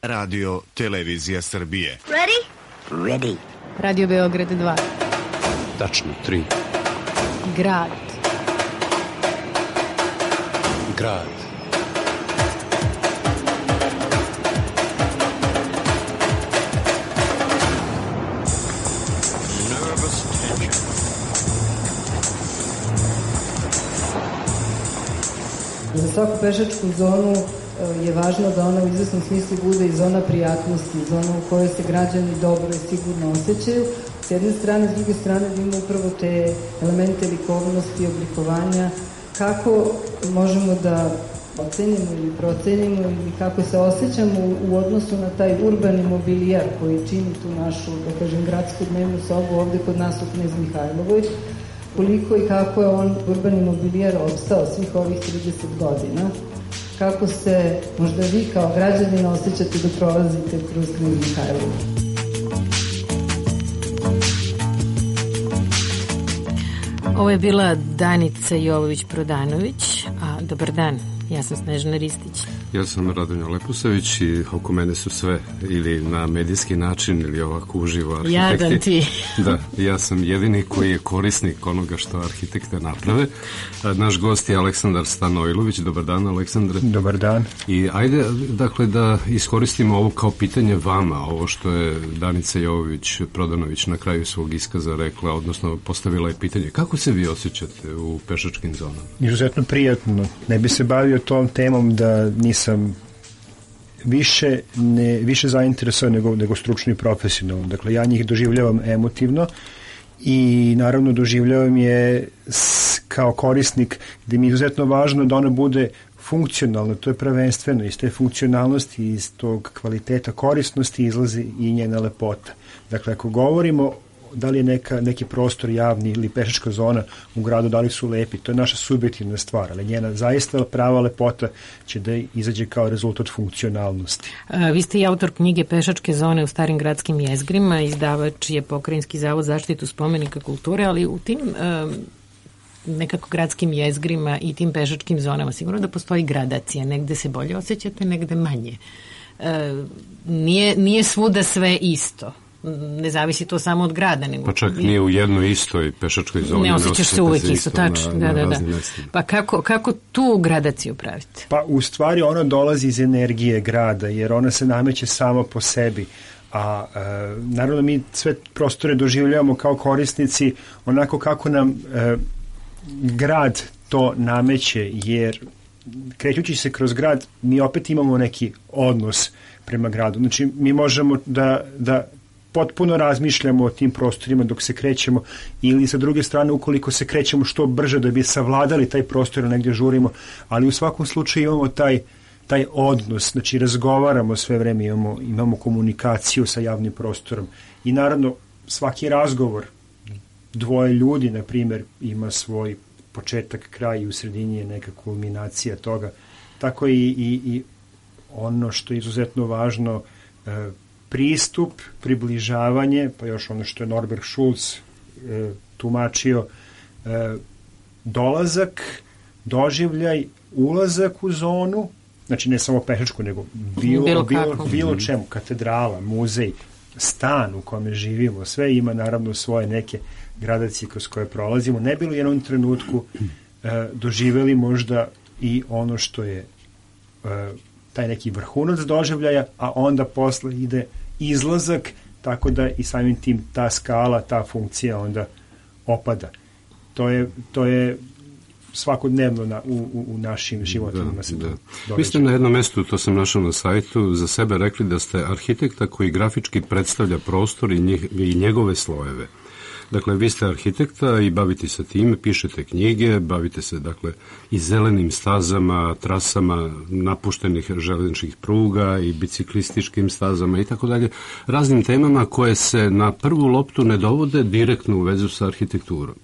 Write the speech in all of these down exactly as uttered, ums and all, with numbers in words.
Radio Televizija Srbije. Ready? Ready. Radio Beograd dva. Tačno tri. Grad. Grad. Nervous tension. Za svaku pešačku zonu je važno da ona u izvesnom smislu bude i zona prijatnosti, zona u kojoj se građani dobro i sigurno osjećaju. S jedne strane, s druge strane da ima upravo te elemente likovnosti, oblikovanja, kako možemo da ocenimo ili procenimo ili kako se osjećamo u odnosu na taj urbani mobilijar koji čini tu našu, da kažem, gradsku dnevnu sobu ovde kod nas u Knez Mihajlovoj, koliko i kako je on urbani mobilijar opstao svih ovih trideset godina. Kako se možda vi kao građanin osjećate da prolazite kroz Knez Mihajlovu? Ovo je bila Danica Jovović-Prodanović. A, dobar dan, ja sam Snežana Ristić. Ja sam Radonja Lepusavić i oko mene su sve ili na medijski način ili ovako uživo arhitekti. Jadan ti. Da, ja sam jedini koji je korisnik onoga što arhitekte naprave. Naš gost je Aleksandar Stanojlović. Dobar dan, Aleksandre. Dobar dan. I ajde, dakle, da iskoristimo ovo kao pitanje vama, ovo što je Danica Jovović-Prodanović na kraju svog iskaza rekla, odnosno postavila je pitanje. Kako se vi osjećate u pešačkim zonama? Izuzetno prijatno. Ne bi se bavio tom temom da nisam sam više, ne, više zainteresovan nego, nego stručno i profesionalno. Dakle, ja njih doživljavam emotivno i naravno doživljavam je s, kao korisnik gde mi je izuzetno važno da ona bude funkcionalna, to je prvenstveno iz te funkcionalnosti, iz tog kvaliteta korisnosti izlazi i njena lepota. Dakle, ako govorimo da li je neka, neki prostor javni ili pešačka zona u gradu, da li su lepi, to je naša subjektivna stvar, ali njena zaista prava lepota će da izađe kao rezultat funkcionalnosti. A, vi ste i autor knjige Pešačke zone u starim gradskim jezgrima, izdavač je Pokrajinski zavod za zaštitu spomenika kulture, ali u tim um, nekako gradskim jezgrima i tim pešačkim zonama sigurno da postoji gradacija, negde se bolje osjećate, negde manje. E, nije, nije svuda sve isto. Ne zavisi to samo od grada. Nego pa čak nije u jednoj istoj pešačkoj zoni. Ne osjećaš se uvek isto, tačno. Da, da, da. Pa kako, kako tu gradaciju pravite? Pa u stvari ona dolazi iz energije grada, jer ona se nameće sama po sebi. A e, naravno mi sve prostore doživljavamo kao korisnici onako kako nam e, grad to nameće, jer krećući se kroz grad mi opet imamo neki odnos prema gradu. Znači mi možemo da, da potpuno razmišljamo o tim prostorima dok se krećemo ili sa druge strane ukoliko se krećemo što brže da bi savladali taj prostor negdje žurimo, ali u svakom slučaju imamo taj, taj odnos, znači razgovaramo sve vreme, imamo, imamo komunikaciju sa javnim prostorom i naravno svaki razgovor dvoje ljudi, na primjer, ima svoj početak, kraj i u sredini je neka kulminacija toga. Tako i, i, i ono što je izuzetno važno, e, pristup, približavanje, pa još ono što je Norbert Schulz e, tumačio, e, dolazak, doživljaj, ulazak u zonu, znači ne samo pešačku, nego bilo, bilo, bilo, bilo čemu, katedrala, muzej, stan u kome živimo, sve ima naravno svoje neke gradacije kroz koje prolazimo. Ne bilo u jednom trenutku e, doživjeli možda i ono što je e, taj neki vrhunac doživljaja, a onda posle ide izlazak, tako da i samim tim ta skala, ta funkcija onda opada. To je, to je svakodnevno na, u, u, u našim životima da, se da. događa. Vi ste na jednom mestu, to sam našao na sajtu, za sebe rekli da ste arhitekta koji grafički predstavlja prostor i, njih, i njegove slojeve. Dakle, vi ste arhitekta i bavite se time, pišete knjige, bavite se, dakle, i zelenim stazama, trasama napuštenih železničkih pruga i biciklističkim stazama i tako dalje, raznim temama koje se na prvu loptu ne dovode direktno u vezu sa arhitekturom.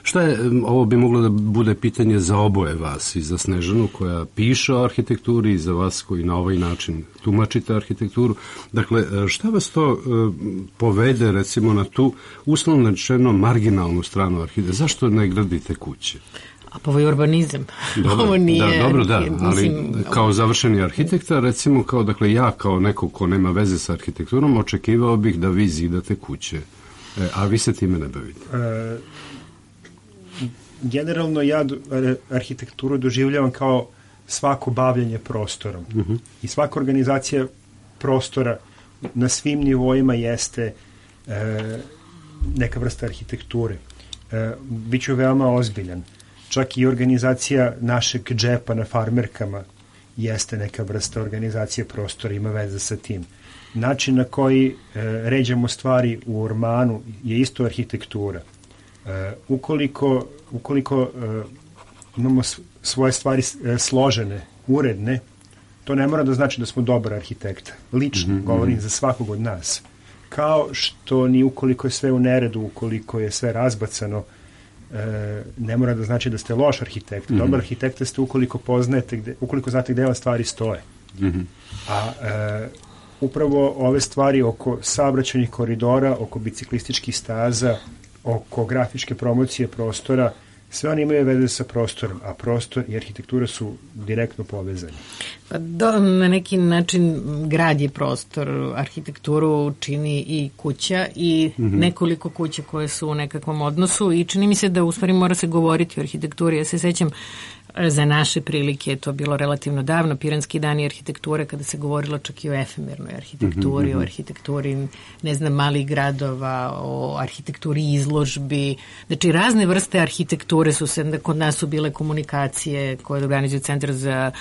Šta je, ovo bi moglo da bude pitanje za oboje vas, i za Snežanu koja piše o arhitekturi i za vas koji na ovaj način tumačite arhitekturu. Dakle, šta vas to uh, povede recimo na tu uslovno rečeno marginalnu stranu arhitekture? Zašto ne gradite kuće? A pa ovo je urbanizam. Dobro, ovo nije, da, dobro, da, mislim, ali kao završeni arhitekta, recimo kao, dakle, ja kao neko ko nema veze sa arhitekturom, očekivao bih da vi zidate kuće, e, a vi se time ne bavite. E, generalno ja arhitekturu doživljavam kao svako bavljanje prostorom. Uh-huh. I svaka organizacija prostora na svim nivoima jeste e, neka vrsta arhitekture. E, biću veoma ozbiljan. Čak i organizacija našeg džepa na farmerkama jeste neka vrsta organizacije prostora, ima veze sa tim. Način na koji e, ređamo stvari u ormanu je isto arhitektura. E, ukoliko ukoliko e, imamo svoje stvari e, složene, uredne, to ne mora da znači da smo dobar arhitekta. Lično, mm-hmm. govorim za svakog od nas. Kao što ni ukoliko je sve u neredu, ukoliko je sve razbacano, e, ne mora da znači da ste loš arhitekt. Mm-hmm. Dobar arhitekta ste ukoliko poznajete, gde, ukoliko znate gde vam stvari stoje. Mm-hmm. A e, upravo ove stvari oko saobraćajnih koridora, oko biciklističkih staza, oko grafičke promocije prostora, sve oni imaju veze sa prostorom, a prostor i arhitektura su direktno povezani. Pa do, na neki način grad je prostor, arhitekturu čini i kuća i mm-hmm. nekoliko kuća koje su u nekakvom odnosu i čini mi se da u stvari mora se govoriti o arhitekturi. Ja se sećam za naše prilike, je to bilo relativno davno, Piranski dani arhitekture, kada se govorilo čak i o efemernoj arhitekturi, mm-hmm. o arhitектuri, ne znam, malih gradova, o arhitekturi izložbi. Znači, razne vrste arhitekture su se, kod nas su bile komunikacije koje organizuju Centar za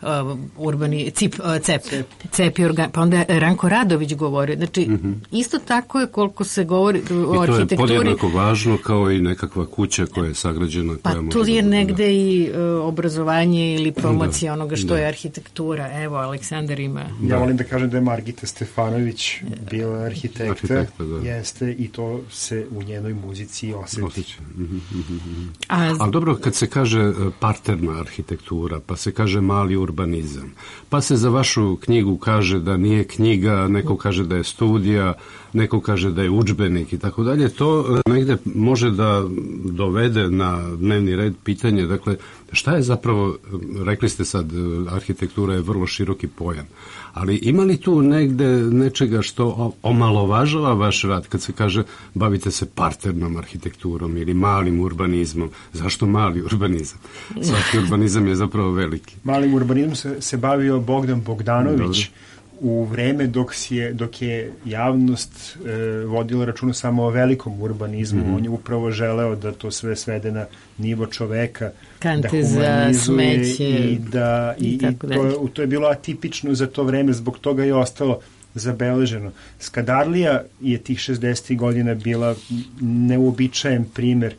Uh, urbani, cip, uh, cep, cep. cep i organ, pa onda je Ranko Radović govorio. Znači, mm-hmm. isto tako je koliko se govori o arhitekturi. I to je podjednako važno kao i nekakva kuća koja je sagrađena. Pa koja tu je da, negde da. i uh, obrazovanje ili promocija da, onoga što da. je arhitektura. Evo, Aleksandar ima... Ja volim da kažem da je Margita Stefanović bila arhitekta, arhitekta da. Jeste, i to se u njenoj muzici osjeti. Osjeća. Mm-hmm. A, Ali dobro, kad se kaže parterna arhitektura, pa se kaže mali urbanizam, pa se za vašu knjigu kaže da nije knjiga, neko kaže da je studija, neko kaže da je udžbenik i tako dalje, to negde može da dovede na dnevni red pitanje, dakle, šta je zapravo, rekli ste sad, arhitektura je vrlo široki pojam, ali ima li tu negde nečega što omalovažava vaš rad kad se kaže bavite se parternom arhitekturom ili malim urbanizmom? Zašto mali urbanizam? Svaki urbanizam je zapravo veliki. Malim urbanizmom se, se bavio Bogdan Bogdanović. Dobre. U vreme dok, si je, dok je javnost e, vodila računa samo o velikom urbanizmu, mm-hmm. on je upravo želeo da to sve svede na nivo čoveka, kante da humanizuje za smeće i da i, i, i to, to je bilo atipično za to vreme, zbog toga je ostalo zabeleženo. Skadarlija je tih šezdesetih godina bila neuobičajen primer,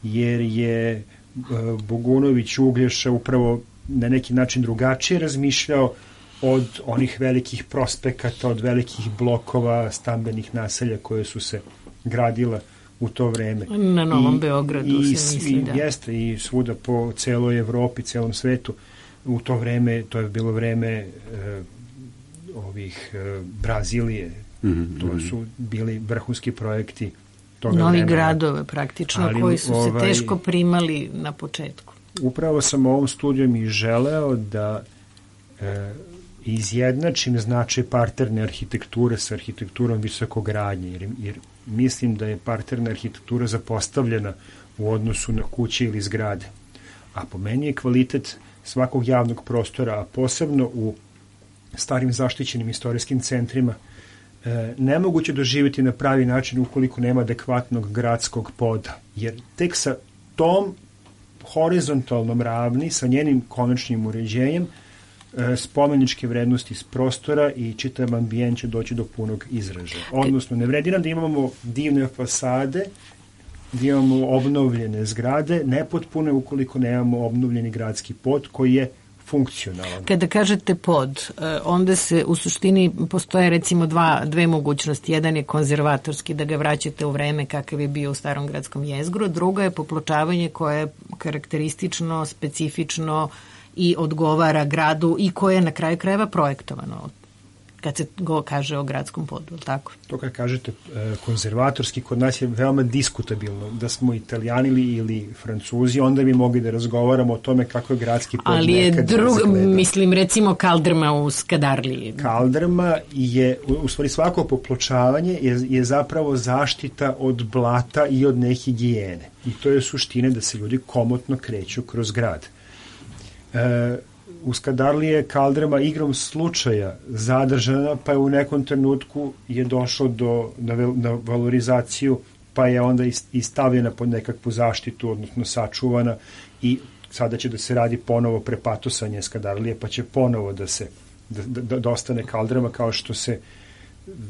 jer je e, Bogunović Uglješa upravo na neki način drugačije razmišljao od onih velikih prospekata, od velikih blokova, stambenih naselja koje su se gradila u to vreme. Na Novom I, Beogradu i, se misli, i, da. Jeste, i svuda po celoj Evropi, celom svetu. U to vreme, to je bilo vreme e, ovih e, Brazilije. Mm-hmm. To su bili vrhunski projekti toga Novi vremena. gradove praktično, ali, koji su ovaj, se teško primali na početku. Upravo sam ovom studijom i želeo da e, izjednačim značaj parterne arhitekture sa arhitekturom visokogradnje, jer, jer mislim da je parterna arhitektura zapostavljena u odnosu na kuće ili zgrade. A po meni je kvalitet svakog javnog prostora, a posebno u starim zaštićenim istorijskim centrima, e, nemoguće doživjeti na pravi način ukoliko nema adekvatnog gradskog poda. Jer tek sa tom horizontalnom ravni, sa njenim konačnim uređenjem, spomeničke vrednosti iz prostora i čitav ambijent će doći do punog izražaja. Odnosno, ne vredi nam da imamo divne fasade, da imamo obnovljene zgrade, nepotpune ukoliko nemamo obnovljeni gradski pod koji je funkcionalan. Kada kažete pod, onda se u suštini postoje recimo dva, dve mogućnosti. Jedan je konzervatorski, da ga vraćate u vreme kakav je bio u starom gradskom jezgru, druga je popločavanje koje je karakteristično, specifično i odgovara gradu i koje je na kraju krajeva projektovano. kad se go kaže o gradskom podu, tako? To kad kažete konzervatorski, kod nas je veoma diskutabilno. Da smo Italijani ili Francuzi, onda bi mogli da razgovaramo o tome kako je gradski pod ali je nekad drug, izgleda. mislim, recimo kaldrma u Skadarliji. Kaldrma je, u stvari svako popločavanje je, je zapravo zaštita od blata i od nehigijene. I to je suština da se ljudi komotno kreću kroz grad. E, u Skadarliji je kaldrma igrom slučaja zadržana, pa je u nekom trenutku je došlo do, na, na valorizaciju, pa je onda i stavljena pod nekakvu zaštitu, odnosno sačuvana, i sada će da se radi ponovo prepatosanje Skadarlije, pa će ponovo da se da, da, da ostane kaldrma kao što se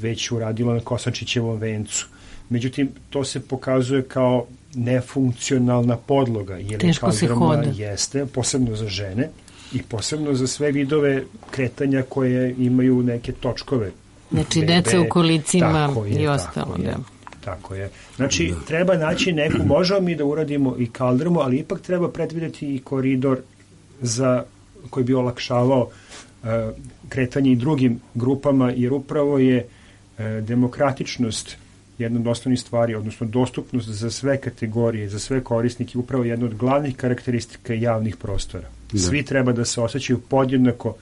već uradilo na Kosančićevom vencu. Međutim, to se pokazuje kao nefunkcionalna podloga, jer teško se hoda. Jeste, posebno za žene i posebno za sve vidove kretanja koje imaju neke točkove. Znači, bebe, deca u kolicima je, i ostalo. Tako je, da. Tako je. Znači, da. treba naći neku, možemo mi da uradimo i kaldrmu, ali ipak treba predvidjeti i koridor za, koji bi olakšavao uh, kretanje i drugim grupama, jer upravo je uh, demokratičnost jedna od osnovnih stvari, odnosno dostupnost za sve kategorije, za sve korisnike, upravo jedna od glavnih karakteristika javnih prostora. Da. Svi treba da se osjećaju podjednako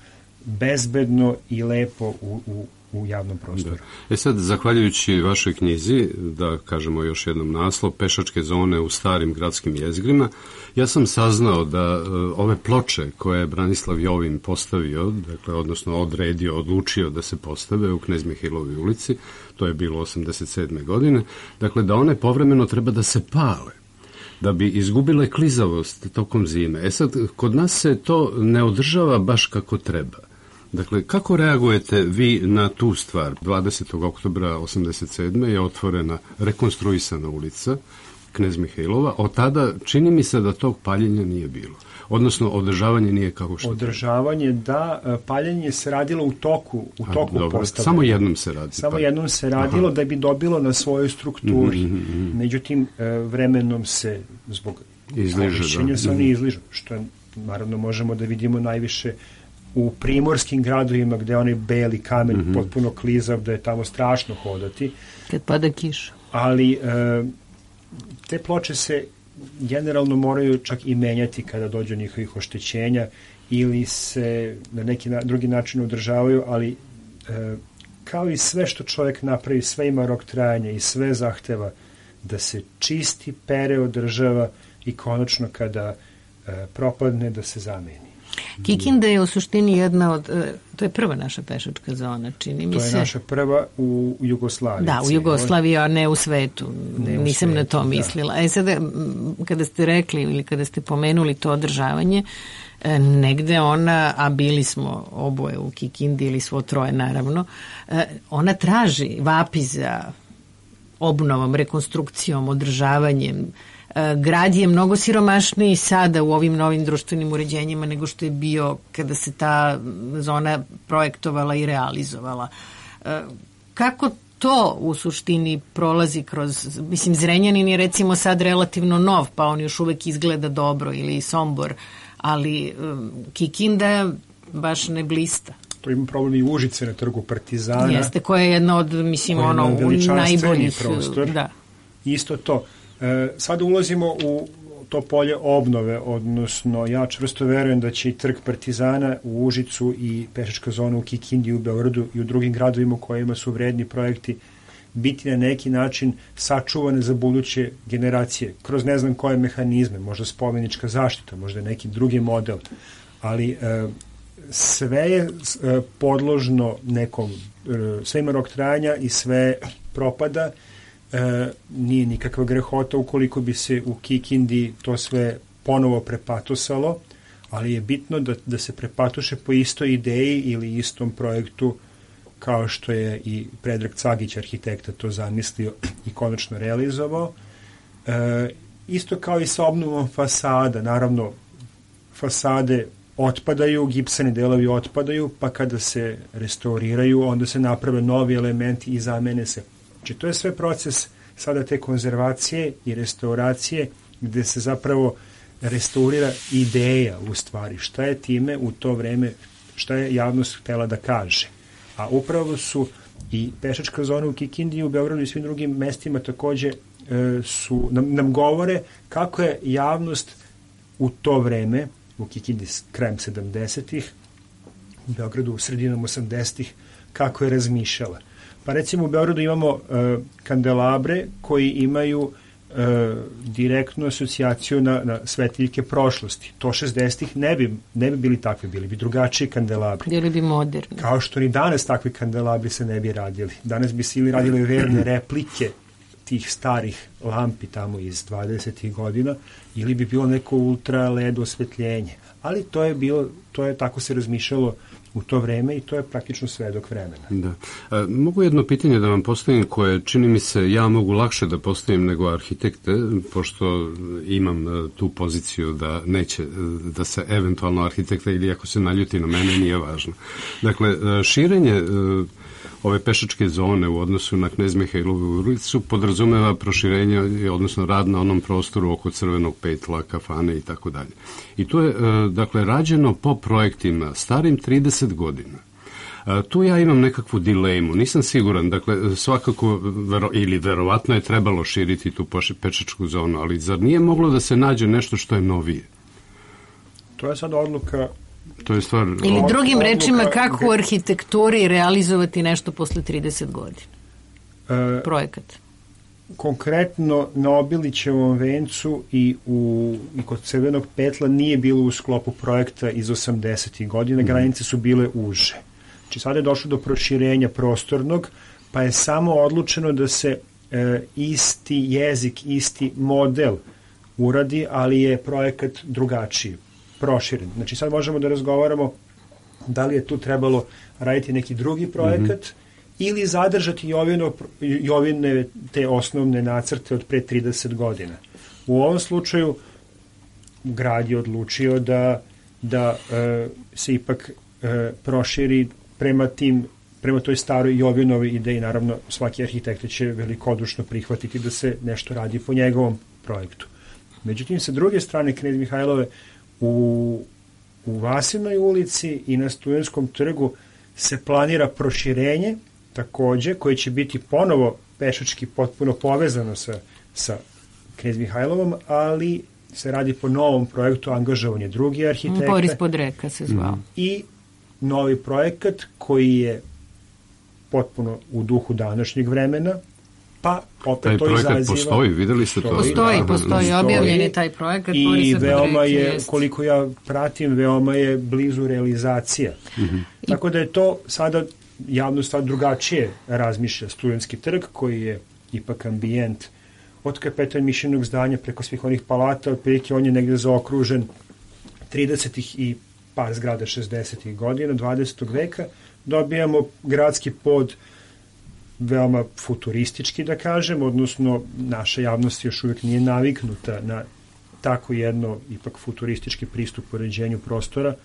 bezbedno i lepo u, u, u javnom prostoru. Da. E sad, zahvaljujući vašoj knjizi, da kažemo još jednom naslov, Pešačke zone u starim gradskim jezgrima, ja sam saznao da uh, ove ploče koje je Branislav Jovin postavio, dakle, odnosno odredio, odlučio da se postave u Knez Mihailovoj ulici, to je bilo osamdeset sedme godine, dakle, da one povremeno treba da se pale, da bi izgubile klizavost tokom zime. E sad, kod nas se to ne održava baš kako treba. Dakle, kako reagujete vi na tu stvar? dvadesetog oktobra osamdeset sedme je otvorena, rekonstruisana ulica Knez Mihailova. Od tada čini mi se da tog paljenja nije bilo. Odnosno, održavanje nije kako što... Održavanje, da, paljenje se radilo u toku, u toku postavljanja. Samo jednom se radi. Samo jednom se radilo. Aha. Da bi dobilo na svojoj strukturi. Mm -hmm. Međutim, vremenom se, zbog korišćenja, se oni izližu, što je, naravno, možemo da vidimo najviše u primorskim gradovima gde onaj beli kamen mm -hmm. potpuno klizav, da je tamo strašno hodati. Kad pada kiša. Ali e, te ploče se generalno moraju čak i menjati kada dođe njihovih oštećenja ili se na neki na, drugi način održavaju, ali e, kao i sve što čovjek napravi, sve ima rok trajanja i sve zahteva da se čisti, pere, održava i konačno kada e, propadne da se zameni. Kikinda je u suštini jedna od, to je prva naša pešačka zona, čini mi se. To je naša prva u Jugoslaviji. Da, u Jugoslaviji, a ne u svetu. Ne u Nisam svetu, na to mislila. Da. E sada, kada ste rekli ili kada ste pomenuli to održavanje, negde ona, a bili smo oboje u Kikindi ili svo troje naravno, ona traži, vapi za obnovom, rekonstrukcijom, održavanjem. Grad je mnogo siromašniji sada u ovim novim društvenim uređenjima nego što je bio kada se ta zona projektovala i realizovala. Kako to u suštini prolazi kroz, mislim, Zrenjanin je recimo sad relativno nov, pa on još uvek izgleda dobro, ili Sombor, ali Kikinda baš ne blista. To ima problem i Užice na trgu Partizana. Jeste, koja je jedna od, mislim, ono, najboljih prostor. Da. Isto to. E, sada ulazimo u to polje obnove, odnosno ja čvrsto verujem da će i trg Partizana u Užicu i pešačka zona u Kikindi, u Beogradu i u drugim gradovima u kojima su vredni projekti biti na neki način sačuvane za buduće generacije, kroz ne znam koje mehanizme, možda spomenička zaštita, možda neki drugi model, ali e, sve je e, podložno nekom, e, sve ima rok trajanja i sve propada. E, nije nikakva grehota ukoliko bi se u Kikindi to sve ponovo prepatosalo, ali je bitno da, da se prepatuše po istoj ideji ili istom projektu kao što je i Predrag Cagić, arhitekta, to zamislio i konačno realizovao. E, isto kao i sa obnovom fasada, naravno fasade otpadaju, gipsani delovi otpadaju, pa kada se restauriraju, onda se naprave novi elementi i zamene se. Znači, to je sve proces sada te konzervacije i restauracije gde se zapravo restaurira ideja u stvari. Šta je time u to vreme, šta je javnost htela da kaže. A upravo su i pešačka zona u Kikindi, u Beogradu i svim drugim mestima takođe e, su, nam, nam govore kako je javnost u to vreme, u Kikindi krajem sedamdesetih, u Beogradu u sredinom osamdesetih, kako je razmišljala. Pa recimo u Beogradu imamo e, kandelabre koji imaju e, direktnu asocijaciju na, na svetiljke prošlosti. To šezdesetih ne bi, ne bi bili takvi, bili bi drugačiji kandelabri. Bili bi moderni. Kao što ni danas takvi kandelabri se ne bi radili. Danas bi se ili radile verne replike tih starih lampi tamo iz dvadesetih godina, ili bi bilo neko ultra L E D osvetljenje. Ali to je bilo, to je tako se razmišljalo u to vreme i to je praktično svedok vremena. Da. E, mogu jedno pitanje da vam postavim koje čini mi se ja mogu lakše da postavim nego arhitekte, pošto imam e, tu poziciju da neće, e, da se eventualno arhitekta ili ako se naljuti na mene nije važno. Dakle, e, širenje e, ove pešačke zone u odnosu na Knez Mihailovu ulicu podrazumeva proširenje, odnosno rad na onom prostoru oko Crvenog petla, kafane i tako dalje. I to je, e, dakle, rađeno po projektima starim trideset godina. E, tu ja imam nekakvu dilemu, nisam siguran, dakle, svakako, vero, ili verovatno je trebalo širiti tu pešačku zonu, ali zar nije moglo da se nađe nešto što je novije? To je sad odluka. To je stvar... Ili drugim odluka, rečima, kako u arhitekturi realizovati nešto posle trideset godina? E, Projekat. Konkretno na Obilićevom vencu i, u, i kod Crvenog petla nije bilo u sklopu projekta iz osamdesetih godina, granice su bile uže. Znači sada je došlo do proširenja prostornog, pa je samo odlučeno da se e, isti jezik, isti model uradi, ali je projekat drugačiji, proširen. Znači sad možemo da razgovaramo da li je tu trebalo raditi neki drugi projekat, mm-hmm. ili zadržati Jovino, Jovine te osnovne nacrte od pre trideset godina. U ovom slučaju grad je odlučio da, da e, se ipak e, proširi prema tim, prema toj staroj Jovinovoj ideji. Naravno, svaki arhitekta će velikodušno prihvatiti da se nešto radi po njegovom projektu. Međutim, sa druge strane Knez Mihajlove u, u Vasinoj ulici i na Studentskom trgu se planira proširenje takođe, koje će biti ponovo pešački potpuno povezano sa, sa Knez Mihajlovom, ali se radi po novom projektu, angažovanje drugi arhitekta. Boris Podreka se zvao. I novi projekat koji je potpuno u duhu današnjeg vremena, pa opet taj to izaziva... Taj projekat postoji, videli ste to? Postoji, da, postoji, postoji, objavljen je taj projekat. I veoma je, jest. koliko ja pratim, veoma je blizu realizacija. Mm-hmm. Tako da je to sada javnost drugačije razmišlja. Studentski trg, koji je ipak ambijent od kapetan Mišljenog zdanja preko svih onih palata, otprilike on je negde zaokružen tridesetih i par zgrada šezdesetih godina, dvadesetog veka. Dobijamo gradski pod veoma futuristički, da kažem, odnosno naša javnost još uvijek nije naviknuta na tako jedno ipak futuristički pristup uređenju prostora.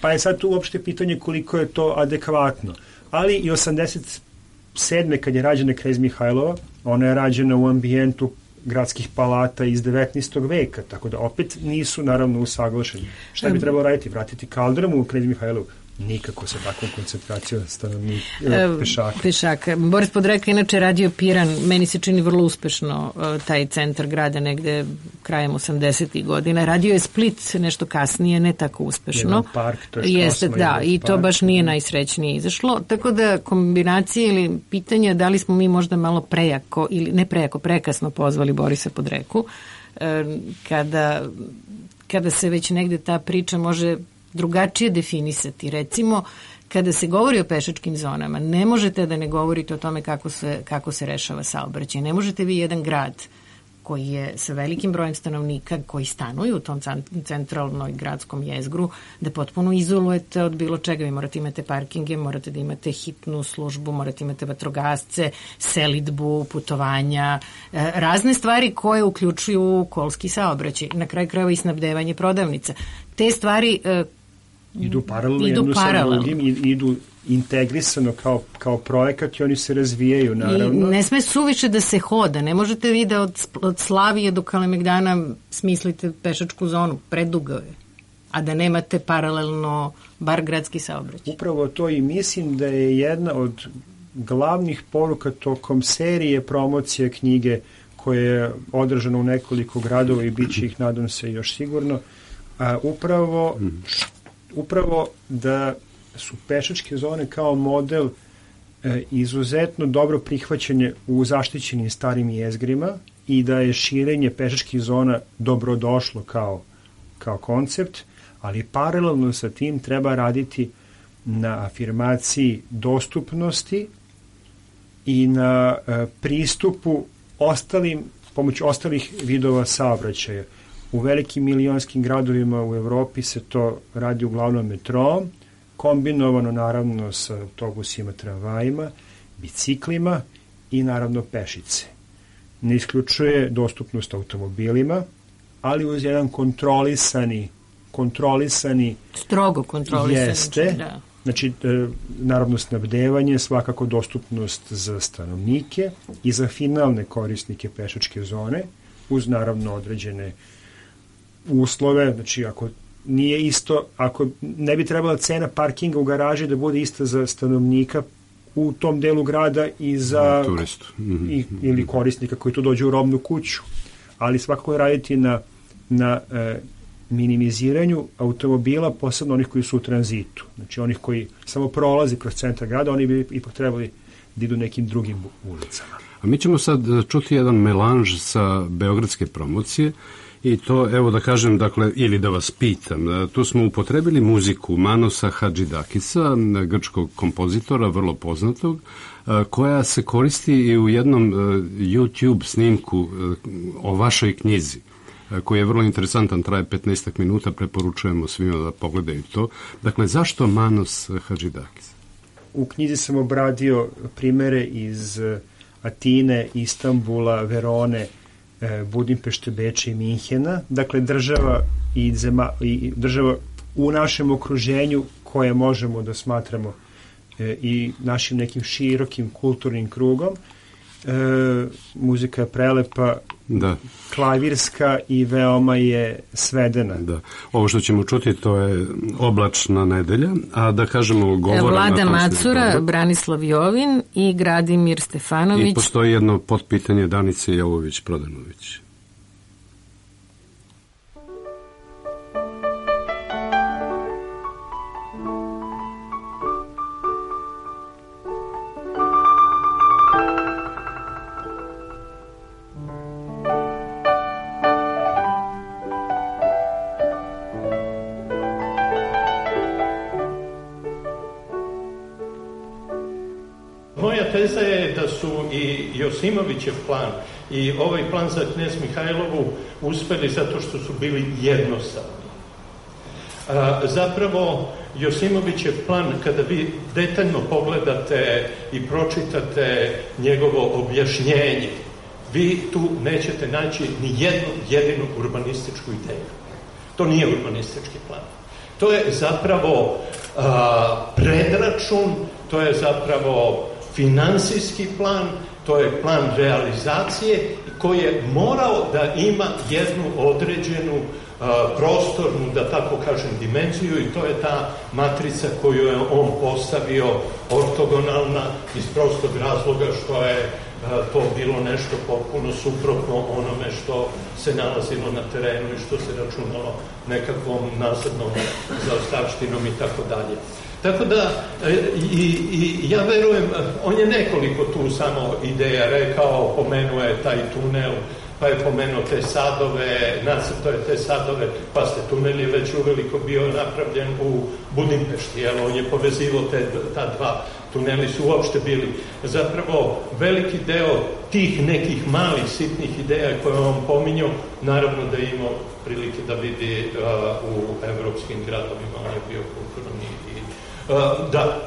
Pa je sad tu uopšte pitanje koliko je to adekvatno. Ali i osamdeset sedme kad je rađena Knez Mihajlova, ona je rađena u ambijentu gradskih palata iz devetnaestog veka, tako da opet nisu naravno usaglašeni. Šta bi trebalo raditi? Vratiti kaldrmu u Knez Mihajlovu? Nikako sa takvom koncentracijom stanovnika, pešaka. Pešaka. Boris Podreka inače radio Piran, meni se čini vrlo uspešno taj centar grada negde krajem osamdesetih godina. Radio je Split nešto kasnije, ne tako uspešno. Jedan park, to je Jeste, da, i to park. baš nije najsrećnije izašlo. Tako da kombinacije ili pitanja da li smo mi možda malo prejako, ili ne prejako, prekasno pozvali Borisa Podreku, kada, kada se već negde ta priča može drugačije definisati. Recimo, kada se govori o pešačkim zonama, ne možete da ne govorite o tome kako se, kako se rešava saobraćaj. Ne možete vi jedan grad koji je sa velikim brojem stanovnika koji stanuju u tom centralnoj gradskom jezgru, da potpuno izolujete od bilo čega. Vi morate imate parkinge, morate da imate hitnu službu, morate imate vatrogasce, selidbu, putovanja, razne stvari koje uključuju kolski saobraćaj. Na kraju krajeva i snabdevanje prodavnica. Te stvari idu paralelno jedno sa drugim i idu integrisano kao, kao projekat i oni se razvijaju, naravno. I ne sme suviše da se hoda. Ne možete vi da od, od Slavije do Kalemegdana smislite pešačku zonu. Predugo je. a da nemate paralelno bar gradski saobraćaj. Upravo to i mislim da je jedna od glavnih poruka tokom serije promocije knjige koje je održano u nekoliko gradova i bit će ih, nadam se, još sigurno, a upravo, upravo da su pešačke zone kao model e, izuzetno dobro prihvaćene u zaštićenim starim jezgrima i da je širenje pešačkih zona dobrodošlo kao, kao koncept, ali paralelno sa tim treba raditi na afirmaciji dostupnosti i na e, pristupu ostalim, pomoću ostalih vidova saobraćaja. U velikim milionskim gradovima u Evropi se to radi uglavnom metrom, kombinovano naravno sa autobusima, tramvajima, biciklima i naravno pešice. Ne isključuje dostupnost automobilima, ali uz jedan kontrolisani, kontrolisani strogo kontrolisani. Jeste, da. Znači, e, naravno snabdevanje, svakako dostupnost za stanovnike i za finalne korisnike pešačke zone, uz naravno određene uslove, znači ako nije isto, ako ne bi trebala cena parkinga u garaži da bude ista za stanovnika u tom delu grada i za turistu mm-hmm. i, ili korisnika koji tu dođe u robnu kuću, ali svakako raditi na, na e, minimiziranju automobila, posebno onih koji su u tranzitu. Znači onih koji samo prolazi kroz centar grada, oni bi ipak trebali da idu nekim drugim ulicama. A mi ćemo sad čuti jedan melanž sa beogradske promocije i to, evo da kažem, dakle, ili da vas pitam, tu smo upotrebili muziku Manosa Hadžidakisa, grčkog kompozitora, vrlo poznatog, koja se koristi i u jednom YouTube snimku o vašoj knjizi, koji je vrlo interesantan, traje petnaest minuta, preporučujemo svima da pogledaju to. Dakle, zašto Manos Hadžidakis? U knjizi sam obradio primere iz Atine, Istanbula, Verone, Budimpešte, Beča i Minhena. Dakle, država i, zema, i država u našem okruženju koje možemo da smatramo e, i našim nekim širokim kulturnim krugom. E, muzika je prelepa, da. Klavirska i veoma je svedena. Da. Ovo što ćemo čuti to je Oblačna nedelja, a da kažemo govore... Vlada Macura, sniku. Branislav Jovin i Gradimir Stefanović. I postoji jedno potpitanje Danice Jovović-Prodanović. Teza je da su i Josimovićev plan i ovaj plan za Knez Mihajlovu uspeli zato što su bili jednostavni. A, zapravo, Josimovićev plan, kada vi detaljno pogledate i pročitate njegovo objašnjenje, vi tu nećete naći ni jednu jedinu urbanističku ideju. To nije urbanistički plan. To je zapravo a, predračun, to je zapravo finansijski plan, to je plan realizacije koji je morao da ima jednu određenu uh, prostornu, da tako kažem, dimenziju i to je ta matrica koju je on postavio ortogonalna iz prostog razloga što je uh, to bilo nešto potpuno suprotno onome što se nalazilo na terenu i što se računalo nekakvom nazadnom zaostavštinom i tako dalje. Tako da, i, i ja verujem, on je nekoliko tu samo ideja rekao, pomenuo je taj tunel, pa je pomenuo te sadove, nacrto je te sadove, pa ste tunel je već uveliko bio napravljen u Budimpešti, jel, on je povezivao te, ta dva, tuneli su uopšte bili. Zapravo, veliki deo tih nekih malih, sitnih ideja koje on pominjao, naravno da je imao prilike da vidi uh, u evropskim gradovima, on je bio kulturni i Uh, da,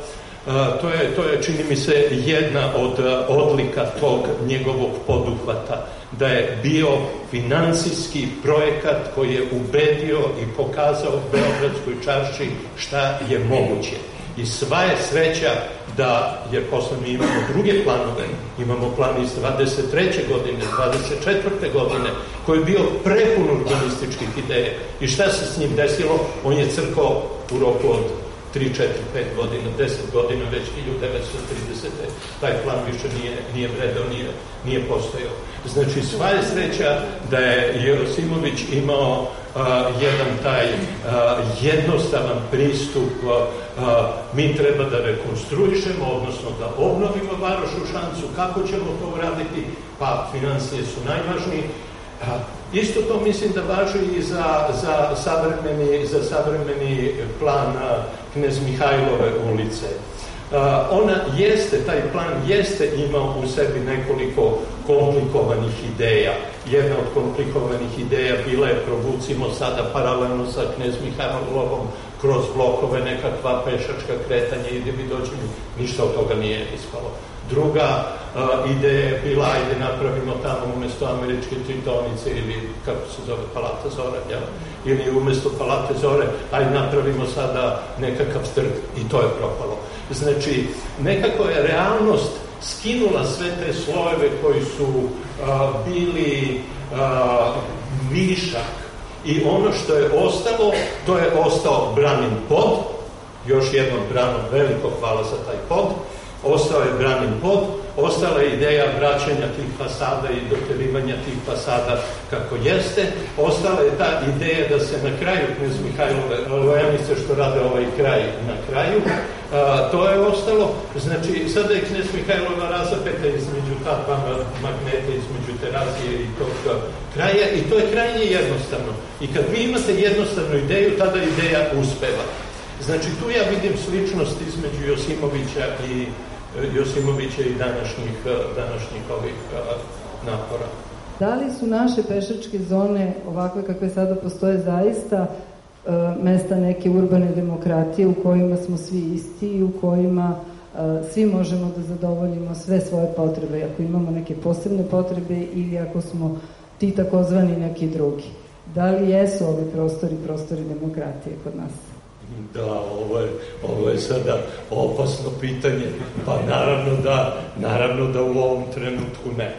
uh, to je, to je, čini mi se, jedna od uh, odlika tog njegovog poduhvata, da je bio finansijski projekat koji je ubedio i pokazao Beogradskoj čarši šta je moguće. I sva je sreća da, jer posle mi imamo druge planove, imamo plan iz dvadeset treće godine, dvadeset četvrte godine, koji je bio prepun urbanističkih ideja. I šta se s njim desilo? On je crkao u roku od tri, četiri, pet godina, deset godina, već hiljadu devetsto tridesete taj plan više nije, nije vredao, nije, nije postojao. Znači, sva je sreća da je Jerosimović imao a, jedan taj a, jednostavan pristup, a, a, mi treba da rekonstruišemo, odnosno da obnovimo Varoš u Šancu. Kako ćemo to uraditi? Pa, financije su najvažniji. A, isto to mislim da važi i za, za, savremeni, za savremeni plan a, Knez Mihajlove ulice. A, ona jeste, taj plan jeste imao u sebi nekoliko komplikovanih ideja. Jedna od komplikovanih ideja bila je provucimo sada paralelno sa Knez Mihajlovom kroz blokove nekakva pešačka kretanja i gdje bi dođemo, ništa od toga nije ispalo. Druga uh, ideja je bila, ajde napravimo tamo umjesto američke tritonice ili kako se zove Palata Zore, ja? Ili umjesto Palate Zore, ajde napravimo sada nekakav trg i to je propalo. Znači, nekako je realnost skinula sve te slojeve koji su uh, bili uh, višak i ono što je ostalo, to je ostao Branin pod, još jednom Branu veliko hvala za taj pod, ostao je Branin pod, ostala je ideja vraćanja tih fasada i doterivanja tih fasada kako jeste, ostala je ta ideja da se na kraju Knez Mihajlove lojanice što rade ovaj kraj na kraju, a, to je ostalo. Znači, sada je Knez Mihajlova razapeta između ta dva magneta, između Terazije i tog kraja i to je krajnje jednostavno. I kad vi imate jednostavnu ideju, tada ideja uspeva. Znači, tu ja vidim sličnost između Josimovića i Josimovića i današnjih, današnjih ovih napora. Da li su naše pešačke zone ovakve kakve sada postoje zaista e, mesta neke urbane demokratije u kojima smo svi isti i u kojima e, svi možemo da zadovoljimo sve svoje potrebe, ako imamo neke posebne potrebe ili ako smo ti takozvani neki drugi? Da li jesu ovi prostori prostori demokratije kod nas? Da, ovo je, ovo je sada opasno pitanje. Pa naravno da, naravno da u ovom trenutku ne.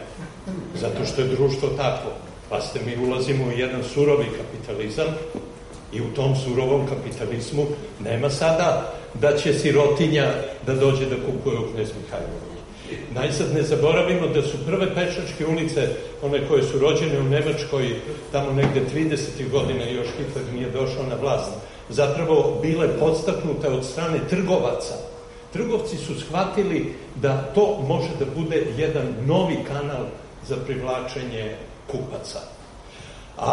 Zato što je društvo takvo. Pa ste mi ulazimo u jedan surovi kapitalizam i u tom surovom kapitalizmu nema sada da će sirotinja da dođe da kupuje u Knez Mihajlovu. Najzad ne zaboravimo da su prve pešačke ulice, one koje su rođene u Nemačkoj, tamo negde tridesetih godina, još Hitler nije došao na vlast, zapravo bile podstaknute od strane trgovaca. Trgovci su shvatili da to može da bude jedan novi kanal za privlačenje kupaca. A,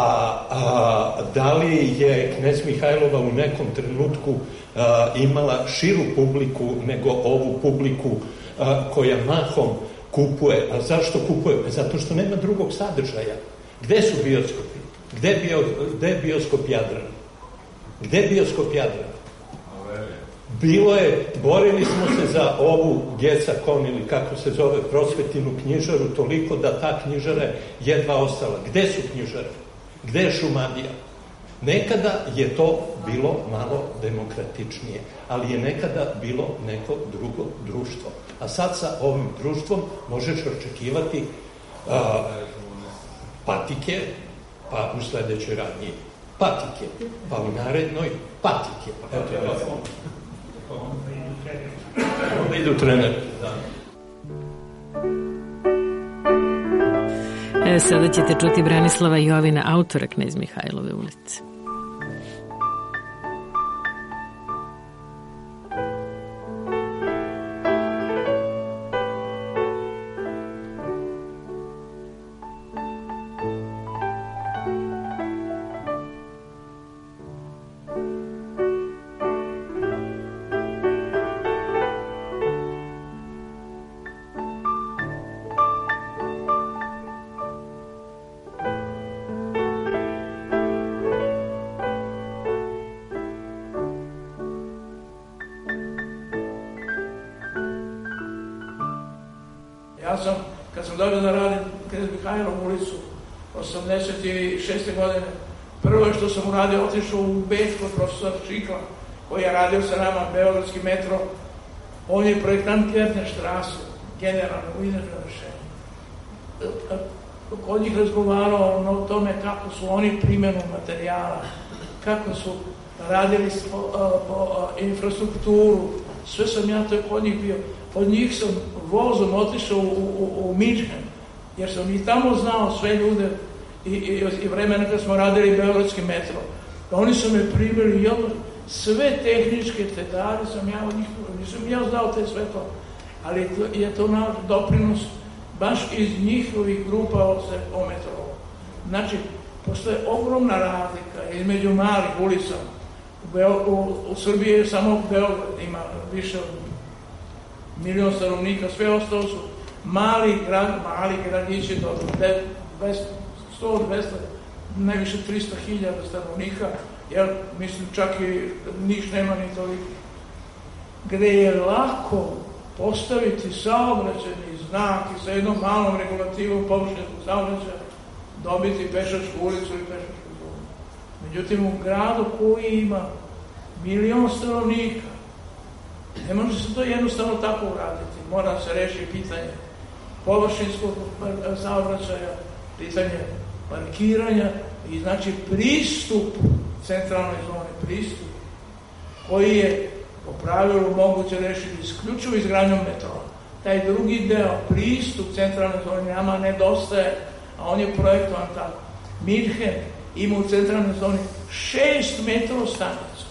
a da li je Knez Mihajlova u nekom trenutku a, imala širu publiku nego ovu publiku a, koja mahom kupuje? A zašto kupuje? Zato što nema drugog sadržaja. Gde su bioskopi? Gde je, bio, gde je bioskop Jadran? Gde je bioskop Jadran? Bilo je, borili smo se za ovu Gecakon ili kako se zove prosvetinu knjižaru toliko da ta knjižara jedva ostala. Gde su knjižare? Gde je Šumadija? Nekada je to bilo malo demokratičnije, ali je nekada bilo neko drugo društvo. A sad sa ovim društvom možeš očekivati a, patike, pa u sledećoj radnji patike, pa u narednoj patike. Eto, onda idu treneri. E, sada ćete čuti Branislava Jovina, autora Knez Mihajlove ulice. Ja sam, kad sam dobio da radim Knez Mihajlovu ulicu, osamdeset šeste godine, prvo što sam uradio, otišao u Beč kod profesora Čikla koji je radio sa nama Beogradski metro, on je projektant Kjertne štrase, generalno u idejnom rešenju. Kod njih razgovarao o tome kako su oni primjenu materijala, kako su radili po, po infrastrukturu, sve sam ja to kod njih bio. Od njih sam vozom otišao u, u, u Minhen, jer sam i tamo znao sve ljude i, i, i vremena kad smo radili Beogradski metro. Oni su me primili, jel, sve tehničke detalje sam ja od njih, nisam ja znao te sve to, ali to, je to naš doprinos baš iz njihovih grupa se o metrolu. Znači, postoje ogromna razlika između malih ulica. U, Beo, u, u Srbiji je samo Beograd, ima više od milion stanovnika, sve ostalo su mali grad, mali gradići do sto do dvesta, najviše trista hiljada stanovnika, jer mislim čak i Niš nema ni toliko. Gde je lako postaviti saobraćajni znak i sa jednom malom regulativom površinskog saobraćaja dobiti pešačku ulicu i pešačku zonu. Međutim, u gradu koji ima milion stanovnika, ne može se to jednostavno tako uraditi. Mora se reši pitanje površinskog saobraćaja, pitanje parkiranja i znači pristup centralnoj zoni, pristup koji je po pravilu moguće rešiti isključivo izgradnjom metroa. Taj drugi deo, pristup centralnoj zoni, nama nedostaje, a on je projektovan tako. Minhen ima u centralnoj zoni šest metro stanica.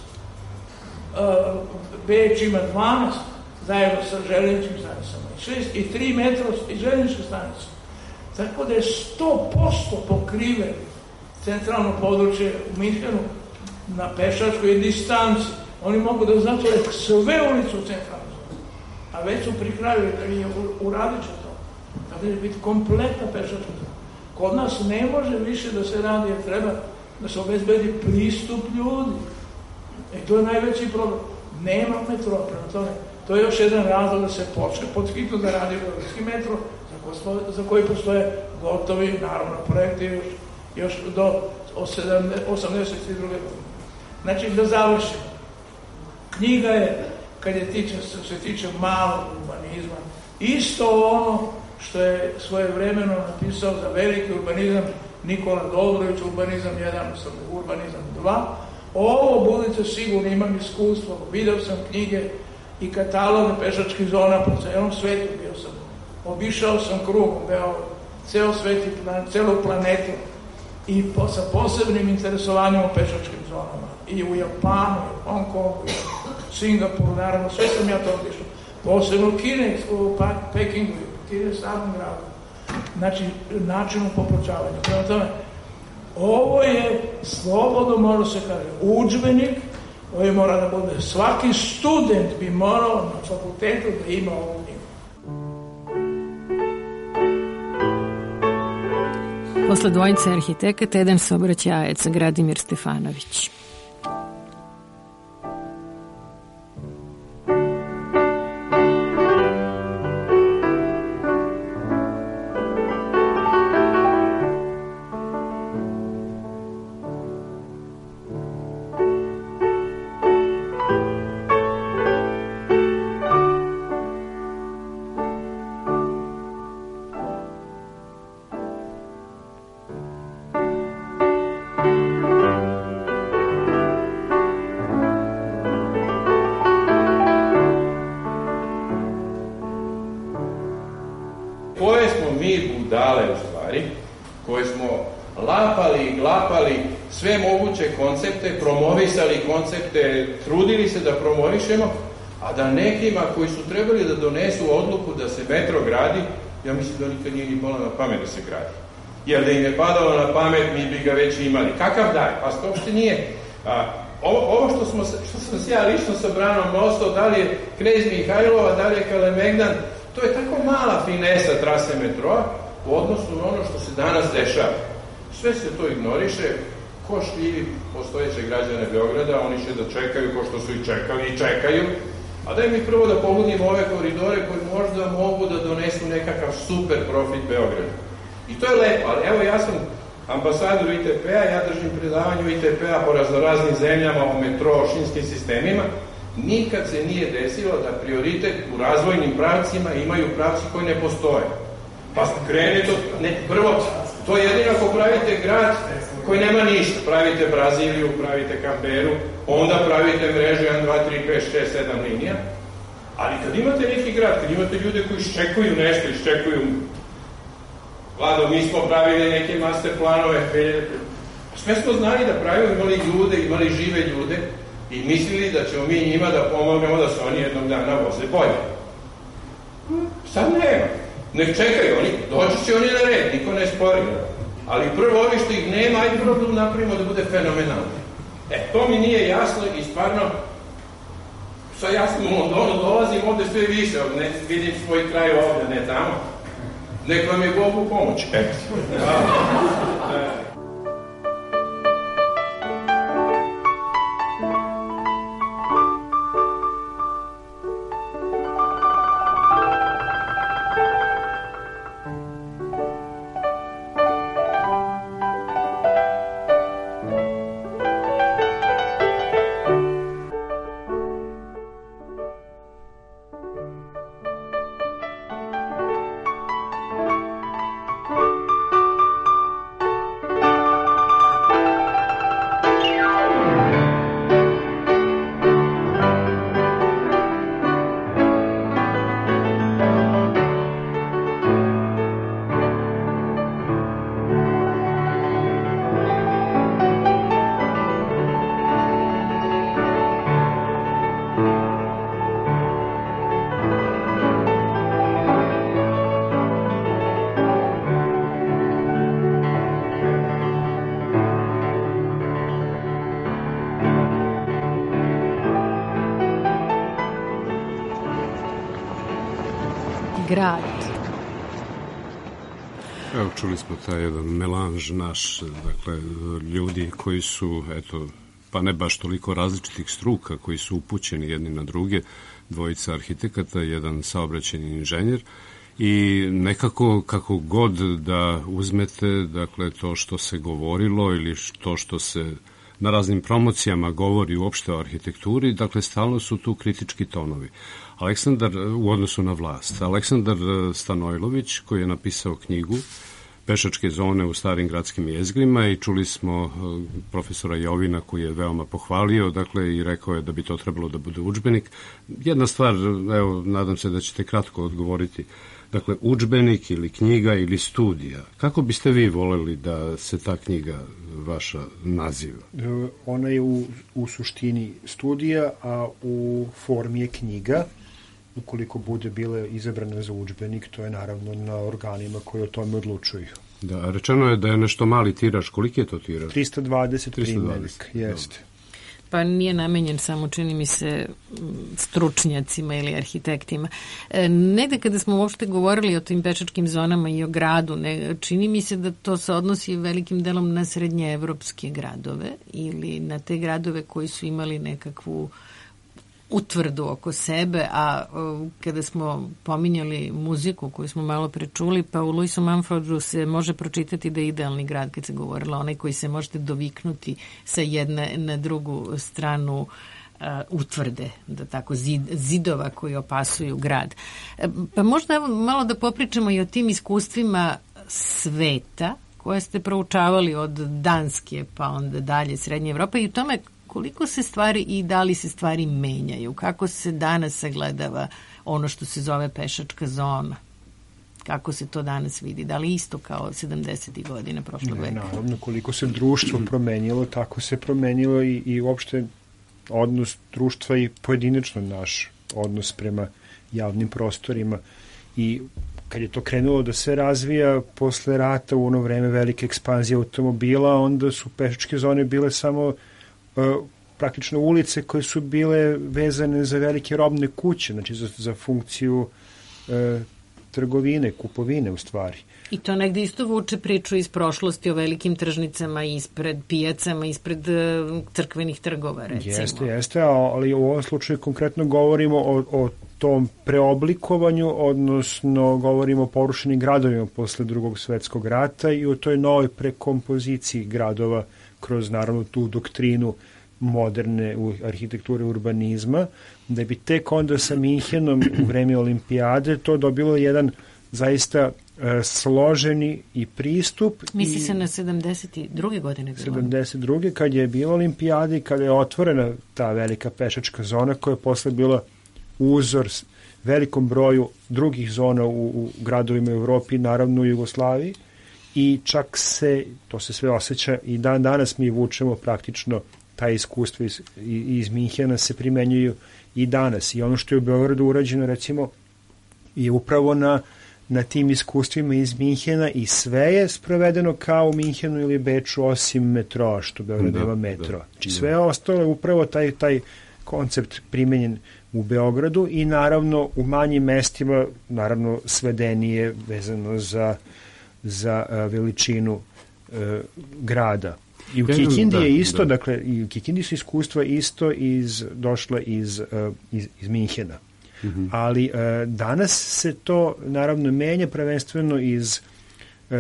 Beč ima dvanaest zajedno sa željezničkim stanicama i šest i tri metro i željezničke stanice. Tako da je sto posto pokriven centralno područje u Minhenu na pešačkoj distanci. Oni mogu da zatvore sve ulicu u centralnoj zoni, a već su pri kraju i uradit će to. Tako da će biti kompletna pešačka zona. Kod nas ne može više da se radi, jer treba da se obezbedi pristup ljudi. E to je najveći problem. Nema metroa, prema tome. To je još jedan razlog da se počne pod hitno da radi Beogradski metro, za, ko, za koji postoje gotovi, naravno, projekti još, još do osamdeset druge godine. Znači, da završimo. Knjiga je, kad je tiče, se tiče malog urbanizma, isto ono što je svojevremeno napisao za veliki urbanizam Nikola Dobrović, urbanizam jedan, urbanizam dva. Ovo, budite sigurni, imam iskustvo, video sam knjige i kataloge pešačkih zona po celom svetu, bio sam, obišao sam krugom, Beograd, ceo svet i plan, celu planetu i po, sa posebnim interesovanjem o pešačkim zonama. I u Japanu, i u Hong Kongu, i u Singapuru, naravno, sve sam ja to obišao. Posebno u Kine, u Pekingu, u Kine samom gradu. Znači, načinom popločavanja. Prema tome, ovo je, slobodno mora se kaže, udžbenik koji mora da bude, svaki student bi morao na fakultetu da ima ovu knjigu. Posle dvojice arhitekata, jedan saobraćajac, Gradimir Stefanović. Sve moguće koncepte, promovisali koncepte, trudili se da promovišemo, a da nekima koji su trebali da donesu odluku da se metro gradi, ja mislim da nikad nije ni palo na pamet da se gradi. Jer da im je padalo na pamet, mi bi ga već imali. Kakav daj? Pa to uopšte nije. A, ovo ovo što, smo, što sam se ja lično sa Branom nostao, da li je Knez Mihajlova, da li je Kalemegdan, to je tako mala finesa trase metroa u odnosu na ono što se danas dešava. Sve se to ignoriše. Ko šljivi postojeće građane Beograda, oni će da čekaju ko što su i čekali i čekaju. A daj mi prvo da pogledimo ove koridore koji možda mogu da donesu nekakav super profit Beogradu. I to je lepo, ali evo ja sam ambasador I T P-a, ja držim predavanje I T P-a po raznoraznim zemljama o metro, šinskim sistemima, nikad se nije desilo da prioritet u razvojnim pravcima imaju pravci koji ne postoje. Pa krenete od... Ne, prvo, to je jedino ako pravite grad koji nema ništa. Pravite Braziliju, pravite Kamberu, onda pravite mrežu jedan, dva, tri, pet, šest, sedam linija. Ali kad imate neki grad, kad imate ljude koji iščekuju nešto, iščekuju... Vlado, mi smo pravili neke master planove, sve smo znali da pravimo, imali ljude, imali žive ljude i mislili da ćemo mi njima da pomognemo da se oni jednog dana voze bolje. Sad nema. Nek čekaju, oni, doći će oni na red, niko ne spori. Ali prvo ovi što ih nema, ajde prvo da napravimo da bude fenomenalno. E, to mi nije jasno i stvarno, sad jasno u Londonu dolazim ovde sve više, ne vidim svoj kraj ovde, ne tamo. Nek vam je Bog u pomoć. Eto. grad. Evo, čuli smo taj jedan melanž naš, dakle, ljudi koji su, eto, pa ne baš toliko različitih struka, koji su upućeni jedni na druge, dvojica arhitekata, jedan saobraćajni inženjer, i nekako, kako god da uzmete, dakle, to što se govorilo ili to što se na raznim promocijama govori uopšte o arhitekturi, dakle, stalno su tu kritički tonovi. Aleksandar, u odnosu na vlast, Aleksandar Stanojlović, koji je napisao knjigu Pešačke zone u starim gradskim jezgrima, i čuli smo profesora Jovina koji je veoma pohvalio, dakle, i rekao je da bi to trebalo da bude udžbenik. Jedna stvar, evo, nadam se da ćete kratko odgovoriti. Dakle, udžbenik ili knjiga ili studija. Kako biste vi voleli da se ta knjiga vaša naziva? Ona je u, u suštini studija, a u formi je knjiga. Ukoliko bude bila izabrana za udžbenik, to je naravno na organima koji o tome odlučuju. Da, rečeno je da je nešto mali tiraž. Koliki je to tiraž? trista dvadeset primjerik, jeste. Pa nije namenjen samo, čini mi se, stručnjacima ili arhitektima. E, negde kada smo uopšte govorili o tim pešačkim zonama i o gradu, ne, čini mi se da to se odnosi velikim delom na srednjeevropske gradove ili na te gradove koji su imali nekakvu utvrdu oko sebe, a o, kada smo pominjali muziku koju smo malo prečuli, pa u Louisu Mumfordu se može pročitati da je idealni grad, kad se govorilo, onaj koji se možete doviknuti sa jedne na drugu stranu uh, utvrde, da tako, zid, zidova koji opasuju grad. E, pa možda malo da popričamo i o tim iskustvima sveta koje ste proučavali od Danske pa onda dalje Srednje Evrope i u tome koliko se stvari i da li se stvari menjaju, kako se danas sagledava ono što se zove pešačka zona, kako se to danas vidi, da li isto kao sedamdesetih godina prošlog veka? Naravno, koliko se društvo promenilo, tako se promenilo i, i uopšte odnos društva i pojedinačno naš odnos prema javnim prostorima. I kad je to krenulo da se razvija posle rata, u ono vreme velike ekspanzije automobila, onda su pešačke zone bile samo praktično ulice koje su bile vezane za velike robne kuće, znači za, za funkciju e, trgovine, kupovine u stvari. I to negde isto vuče priču iz prošlosti o velikim tržnicama ispred pijacama, ispred uh, crkvenih trgova, recimo. Jeste, jeste, ali u ovom slučaju konkretno govorimo o, o tom preoblikovanju, odnosno govorimo o porušenim gradovima posle drugog svetskog rata i o toj novoj prekompoziciji gradova kroz naravno tu doktrinu moderne u arhitekture urbanizma, da bi tek onda sa Minhenom u vreme olimpijade to dobilo jedan zaista e, složeni i pristup. Misli i se na sedamdeset druge godine bilo? sedamdeset druge kad je bila olimpijada i kada je otvorena ta velika pešačka zona koja je posle bila uzor velikom broju drugih zona u, u gradovima u Evropi, naravno u Jugoslaviji, i čak se, to se sve osjeća i dan danas mi vučemo praktično ta iskustva iz, iz Minhena se primenjuju i danas. I ono što je u Beogradu urađeno, recimo, je upravo na, na tim iskustvima iz Minhena i sve je sprovedeno kao u Minhenu ili Beču, osim metroa, što Beograd da, ima metro. Da, znači sve je ostalo upravo taj, taj koncept primenjen u Beogradu i naravno u manjim mestima, naravno svedenije vezano za, za a, veličinu a, grada. I u Kikindi je isto, da. dakle, i u Kikindi su iskustva isto iz, došla iz, uh, iz, iz Minhena. Mm-hmm. Ali uh, danas se to naravno menja prvenstveno iz uh,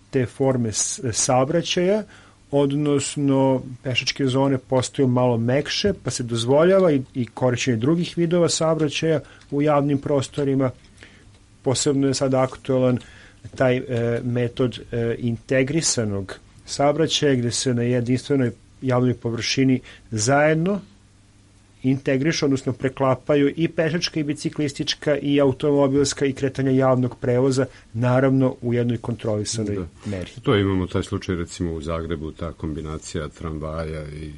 te forme saobraćaja, odnosno pešačke zone postaju malo mekše, pa se dozvoljava i, i korišćenje drugih vidova saobraćaja u javnim prostorima. Posebno je sad aktualan taj uh, metod uh, integrisanog saobraćaja gde se na jedinstvenoj javnoj površini zajedno integrišu, odnosno preklapaju i pešačka i biciklistička i automobilska i kretanja javnog prevoza, naravno u jednoj kontrolisanoj da. meri. To imamo taj slučaj recimo u Zagrebu, ta kombinacija tramvaja i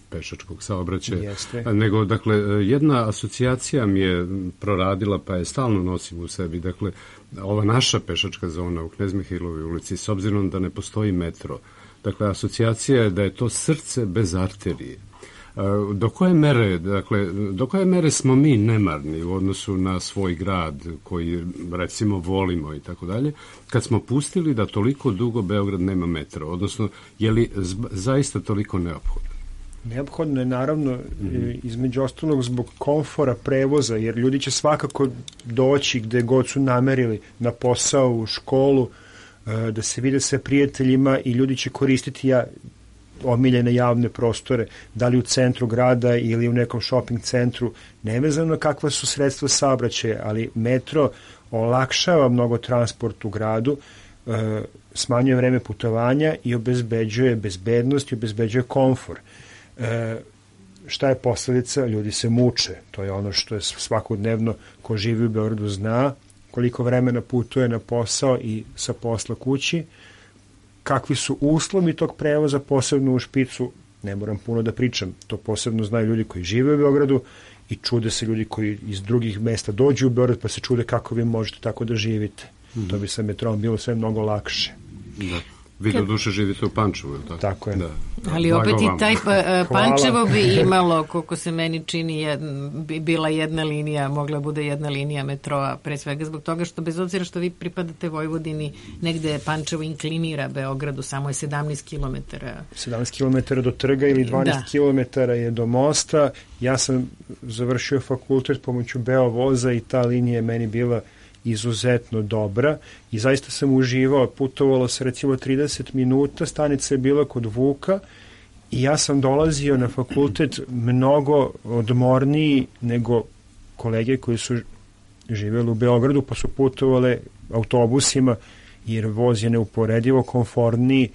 pešačkog saobraćaja. Jeste. Nego, dakle, jedna asocijacija mi je proradila, pa je stalno nosim u sebi. Dakle, ova naša pešačka zona u Knez Mihailovoj ulici, s obzirom da ne postoji metro, dakle, asocijacija je da je to srce bez arterije. Do koje mere, dakle, do koje mere smo mi nemarni u odnosu na svoj grad koji recimo volimo i tako dalje, kad smo pustili da toliko dugo Beograd nema metro, odnosno je li zaista toliko neophodno? Neophodno je naravno mm-hmm. između ostalog zbog komfora prevoza, jer ljudi će svakako doći gde god su namerili, na posao, u školu, da se vide sa prijateljima i ljudi će koristiti ja, omiljene javne prostore, da li u centru grada ili u nekom shopping centru, nevezano kakva su sredstva saobraćaja, ali metro olakšava mnogo transport u gradu, e, smanjuje vreme putovanja i obezbeđuje bezbednost i obezbeđuje komfor. E, šta je posledica? Ljudi se muče. To je ono što je svakodnevno ko živi u Beogradu zna, koliko vremena putuje na posao i sa posla kući, kakvi su uslovi tog prevoza, posebno u špicu, ne moram puno da pričam, to posebno znaju ljudi koji žive u Beogradu i čude se ljudi koji iz drugih mesta dođu u Beograd pa se čude kako vi možete tako da živite. Mm-hmm. To bi sa metrom bilo sve mnogo lakše. Da. Vi do duše živite u Pančevu, ili tako? Tako je. Da. Ali opet i taj pa, Pančevo bi imalo, koliko se meni čini, jedna, bi bila jedna linija, mogla bude jedna linija metroa, pre svega zbog toga što bez obzira što vi pripadate Vojvodini, negde Pančevo inklinira Beogradu, samo je sedamnaest kilometara. sedamnaest kilometara do trga ili dvanaest da. kilometara je do mosta. Ja sam završio fakultet pomoću Beovoza i ta linija je meni bila izuzetno dobra i zaista sam uživao, putovalo se recimo trideset minuta, stanica je bila kod Vuka i ja sam dolazio na fakultet mnogo odmorniji nego kolege koji su živjeli u Beogradu pa su putovale autobusima jer voz je neuporedivo komfortniji,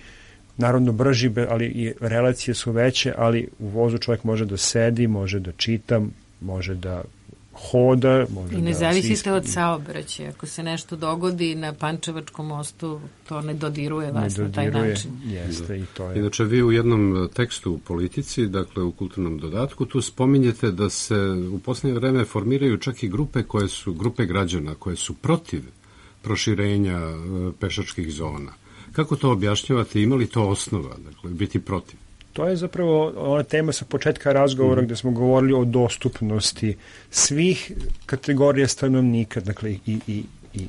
naravno brži, ali i relacije su veće, ali u vozu čovjek može da sedi, može da čita, može da hoda, može i ne da zavisite od saobraćaja. Ako se nešto dogodi na Pančevačkom mostu, to ne dodiruje vas ne na taj način. Jeste, i to je. Inače, vi u jednom tekstu u Politici, dakle u kulturnom dodatku, tu spominjete da se u posljednje vreme formiraju čak i grupe koje su, grupe građana koje su protiv proširenja pešačkih zona. Kako to objašnjavate? Ima li to osnova, dakle, biti protiv? To je zapravo ona tema sa početka razgovora mm. gde smo govorili o dostupnosti svih kategorija stanovnika, dakle i, i, i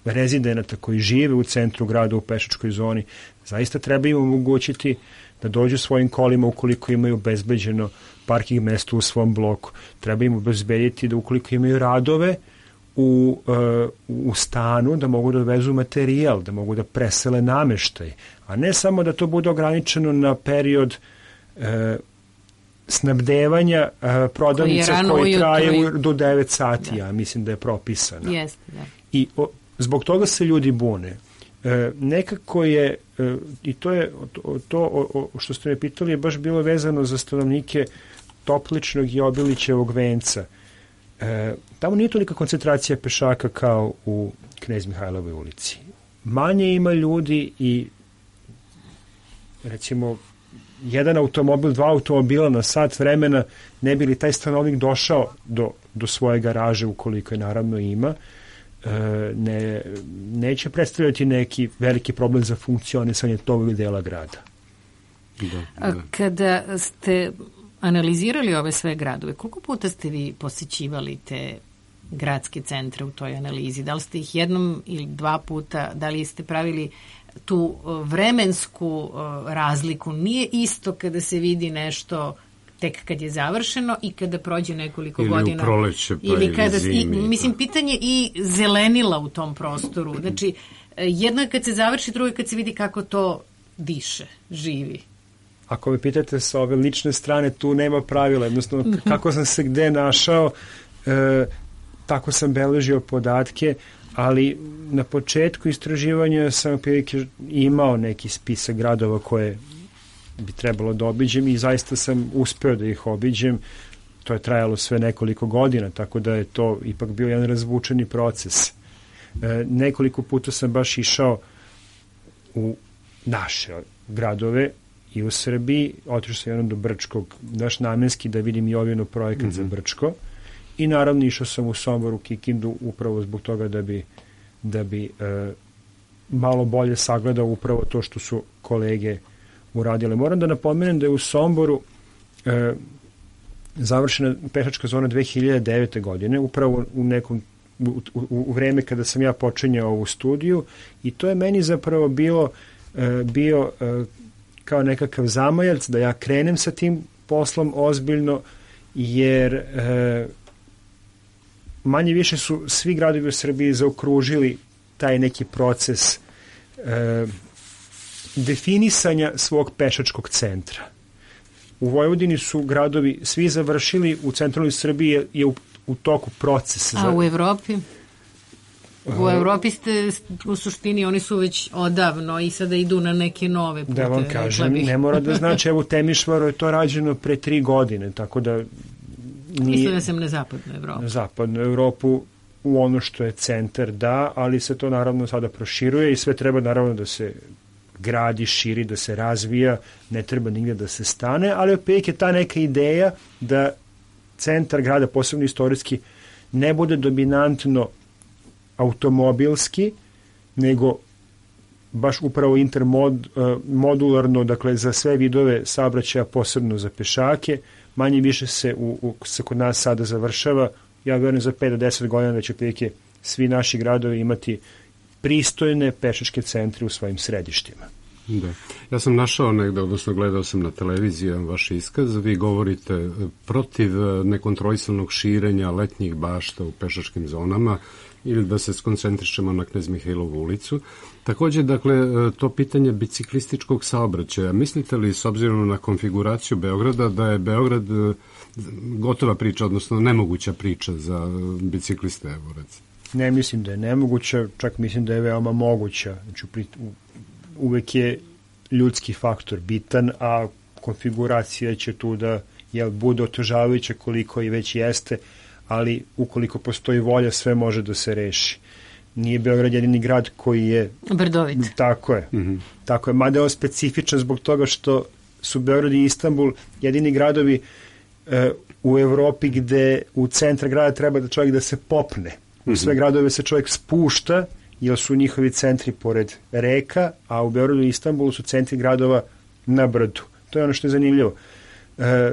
rezidenata koji žive u centru grada u pešačkoj zoni, zaista treba im omogućiti da dođu svojim kolima ukoliko imaju obezbeđeno parking mesto u svom bloku. Treba im obezbediti da ukoliko imaju radove u, uh, u stanu, da mogu da dovezu materijal, da mogu da presele nameštaj, a ne samo da to bude ograničeno na period uh, snabdevanja uh, prodavnica koji, koji traje do devet sati, da. Ja mislim da je propisano. Jeste, da. I o, zbog toga se ljudi bune. E, nekako je, e, i to je to, to o, o, što ste me pitali je baš bilo vezano za stanovnike Topličnog i Obilićevog venca. E, tamo nije tolika koncentracija pešaka kao u Knez Mihajlovoj ulici. Manje ima ljudi i recimo jedan automobil, dva automobila na sat vremena ne bi li taj stanovnik došao do, do svoje garaže ukoliko je naravno ima. Ne, neće predstavljati neki veliki problem za funkcionisanje tog dela grada. Da, da. Kada ste analizirali ove sve gradove, koliko puta ste vi posjećivali te gradske centre u toj analizi? Da li ste ih jednom ili dva puta, da li ste pravili tu vremensku razliku? Nije isto kada se vidi nešto tek kad je završeno i kada prođe nekoliko ili godina. Ili u proleće, pa ili kada, zimi. I, mislim, pitanje i zelenila u tom prostoru. Znači, jedno je kad se završi, drugo je kad se vidi kako to diše, živi. Ako me pitate sa ove lične strane, tu nema pravila. Jednostavno, kako sam se gde našao, e, tako sam beležio podatke, ali na početku istraživanja sam prilike imao neki spisak gradova koje bi trebalo da obiđem i zaista sam uspeo da ih obiđem. To je trajalo sve nekoliko godina, tako da je to ipak bio jedan razvučeni proces. E, nekoliko puta sam baš išao u naše gradove i u Srbiji, otišao sam jednom do Brčkog, daš namenski da vidim i Jovinu projekat mm-hmm. za Brčko i naravno išao sam u Somboru, Kikindu upravo zbog toga da bi, da bi e, malo bolje sagledao upravo to što su kolege uradile. Moram da napomenem da je u Somboru e, završena pešačka zona dve hiljade devete. godine, upravo u nekom u, u, u vreme kada sam ja počinjao ovu studiju i to je meni zapravo bilo e, bio e, kao nekakav zamajac da ja krenem sa tim poslom ozbiljno, jer e, manje više su svi gradovi u Srbiji zaokružili taj neki proces e, definisanja svog pešačkog centra. U Vojvodini su gradovi svi završili, u centralnoj Srbiji je, je u, u toku proces. A u Evropi? U Evropi ste u suštini, oni su već odavno i sada idu na neke nove pute. Da vam kažem, ne mora da znači, evo u Temišvaru je to rađeno pre tri godine, tako da nije... Mislim da sam na zapadnu Evropu. Na zapadnu Evropu, u ono što je centar, da, ali se to naravno sada proširuje i sve treba naravno da se gradi, širi, da se razvija, ne treba nigde da se stane, ali opet je ta neka ideja da centar grada, posebno istorijski, ne bude dominantno automobilski, nego baš upravo intermodularno, dakle za sve vidove saobraćaja, posebno za pešake. Manje više se, u, u, se kod nas sada završava. Ja vjerujem za pet do deset godina da će prilike svi naši gradovi imati pristojne pešačke centre u svojim središtima. Da. Ja sam našao negde, odnosno gledao sam na televiziji vaš iskaz, vi govorite protiv nekontrolisanog širenja letnjih bašta u pešačkim zonama ili da se skoncentrišemo na Knez Mihajlovu ulicu. Također, dakle, to pitanje biciklističkog saobraćaja. Mislite li, s obzirom na konfiguraciju Beograda, da je Beograd gotova priča, odnosno nemoguća priča za bicikliste, evo recimo? Ne mislim da je nemoguća, čak mislim da je veoma moguća. Znači, uvek je ljudski faktor bitan, a konfiguracija će tu da jel, bude otežavajuća koliko i već jeste, ali ukoliko postoji volja, sve može da se reši. Nije Beograd jedini grad koji je... Brdovit. Tako je. Mm-hmm. Tako je. Mada je on specifičan zbog toga što su Beograd i Istanbul jedini gradovi e, u Evropi gde u centra grada treba da čovjek da se popne. U sve gradove se čovjek spušta, jer su njihovi centri pored reka, a u Beogradu i Istanbulu su centri gradova na brdu. To je ono što je zanimljivo. E,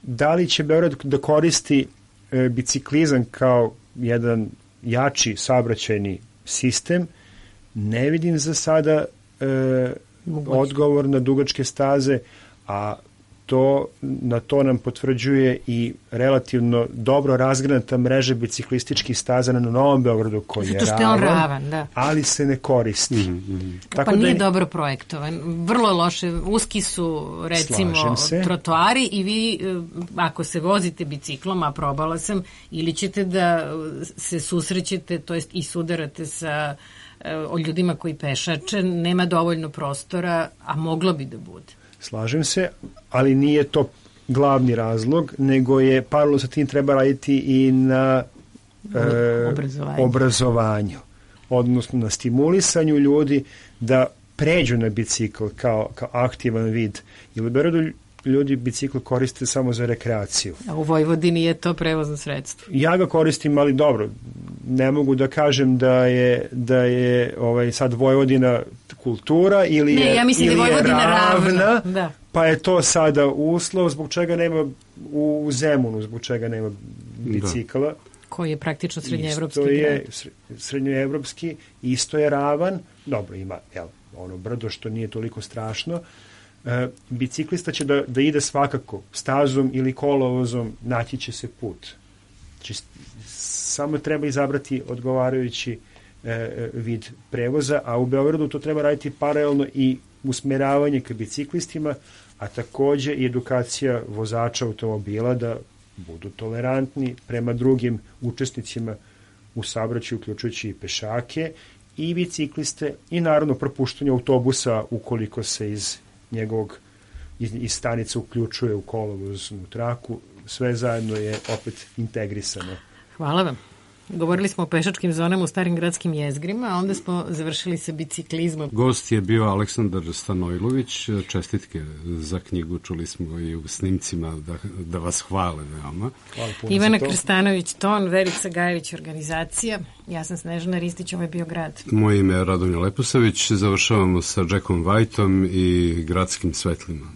da li će Beograd da koristi e, biciklizam kao jedan jači saobraćajni sistem, ne vidim za sada e, odgovor na dugačke staze, a to, na to nam potvrđuje i relativno dobro razgranata mreža biciklističkih staza na Novom Beogradu koji je ravan, on ravan da. ali se ne koristi. Mm-hmm. Tako pa nije da, dobro projektovan. Vrlo loše. Uski su, recimo, trotoari i vi, ako se vozite biciklom, a probala sam, ili ćete da se susrećete, to jest i sudarate sa o ljudima koji pešače, nema dovoljno prostora, a moglo bi da bude. Slažem se, ali nije to glavni razlog, nego je paralelno sa tim treba raditi i na e, obrazovanju. obrazovanju, odnosno na stimulisanju ljudi da pređu na bicikl kao, kao aktivan vid. Jer u Beogradu ljudi bicikl koriste samo za rekreaciju. A u Vojvodini je to prevozno sredstvo. Ja ga koristim, ali dobro, ne mogu da kažem da je, da je ovaj, sad Vojvodina kultura ili ne, je, ja mislim ili da je Vojvodina ravna, ravna da. Pa je to sada uslov zbog čega nema u Zemunu, zbog čega nema bicikla. Da. Koji je praktično srednjoevropski grad. Isto je srednjoevropski, isto je ravan, dobro ima jel, ono brdo što nije toliko strašno. E, biciklista će da, da ide svakako stazom ili kolovozom, naći će se put. Znači, samo treba izabrati odgovarajući e, vid prevoza, a u Beogradu to treba raditi paralelno i usmeravanje ka biciklistima, a takođe i edukacija vozača automobila da budu tolerantni prema drugim učesnicima u saobraćaju, uključujući i pešake i bicikliste i naravno propuštanje autobusa ukoliko se iz njegovog iz, iz stanice uključuje u kolovoznu traku, sve zajedno je opet integrisano. Hvala vam. Govorili smo o pešačkim zonama u starim gradskim jezgrima, a onda smo završili sa biciklizmom. Gost je bio Aleksandar Stanojlović. Čestitke za knjigu, čuli smo i u snimcima da, da vas hvale veoma. Hvala puno. Ivana Krstanović, ton, Verica Gajević, organizacija. Ja sam Snežana Ristić, ovo je bio grad. Moje ime je Radomir Leposavić. Završavamo sa Jackom Whiteom i gradskim svetlima.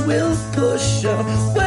Will push away.